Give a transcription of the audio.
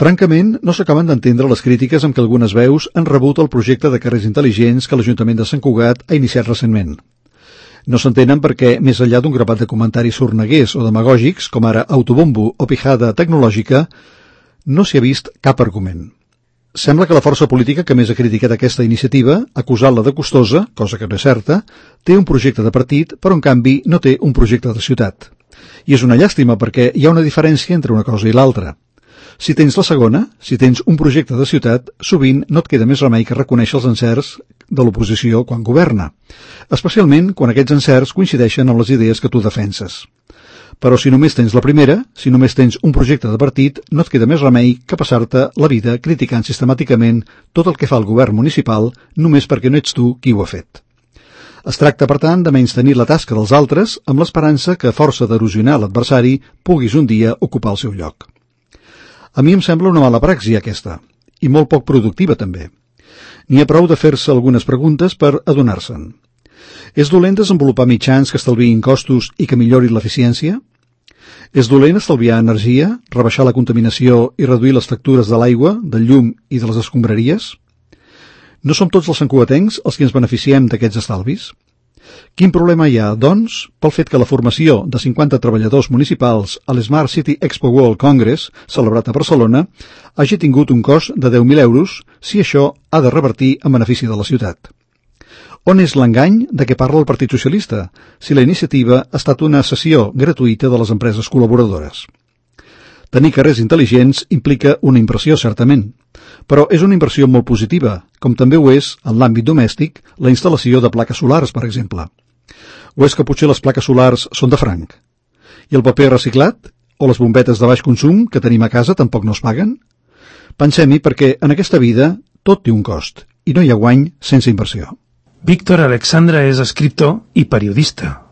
Francament, no s'acaben d'entendre les crítiques amb què algunes veus han rebut el projecte de carrers intel·ligents que l'Ajuntament de Sant Cugat ha iniciat recentment. No s'entenen perquè, més enllà d'un grapat de comentaris sorneguers o demagògics, com ara autobombo o pijada tecnològica, no s'hi ha vist cap argument. Sembla que la força política que més ha criticat aquesta iniciativa, acusant-la de costosa, cosa que no és certa, té un projecte de partit, però en canvi no té un projecte de ciutat. I és una llàstima perquè hi ha una diferència entre una cosa i l'altra. Si tens la segona, si tens un projecte de ciutat, sovint no et queda més remei que reconèixer els encerts de l'oposició quan governa, especialment quan aquests encerts coincideixen amb les idees que tu defenses. Però si només tens la primera, si només tens un projecte de partit, no et queda més remei que passar-te la vida criticant sistemàticament tot el que fa el govern municipal només perquè no ets tu qui ho ha fet. Es tracta, per tant, de menystenir la tasca dels altres amb l'esperança que, a força d'erosionar l'adversari, puguis un dia ocupar el seu lloc. A mi em sembla una mala praxi aquesta, i molt poc productiva també. N'hi ha prou de fer-se algunes preguntes per adonar-se'n. És dolent desenvolupar mitjans que estalviïn costos i que millorin l'eficiència? És dolent estalviar energia, rebaixar la contaminació i reduir les factures de l'aigua, del llum i de les escombraries? No som tots els santcugatencs els que ens beneficiem d'aquests estalvis? Quin problema hi ha, doncs, pel fet que la formació de 50 treballadors municipals a l'Smart City Expo World Congress, celebrat a Barcelona, hagi tingut un cost de 10.000 euros si això ha de revertir en benefici de la ciutat? On és l'engany de què parla el Partit Socialista, si la iniciativa ha estat una cessió gratuïta de les empreses col·laboradores? Tenir carrers intel·ligents implica una inversió, certament, però és una inversió molt positiva, com també ho és, en l'àmbit domèstic, la instal·lació de plaques solars, per exemple. O és que potser les plaques solars són de franc? I el paper reciclat? O les bombetes de baix consum que tenim a casa tampoc no es paguen? Pensem-hi perquè en aquesta vida tot té un cost, i no hi ha guany sense inversió. Víctor Alexandra és escriptor i periodista.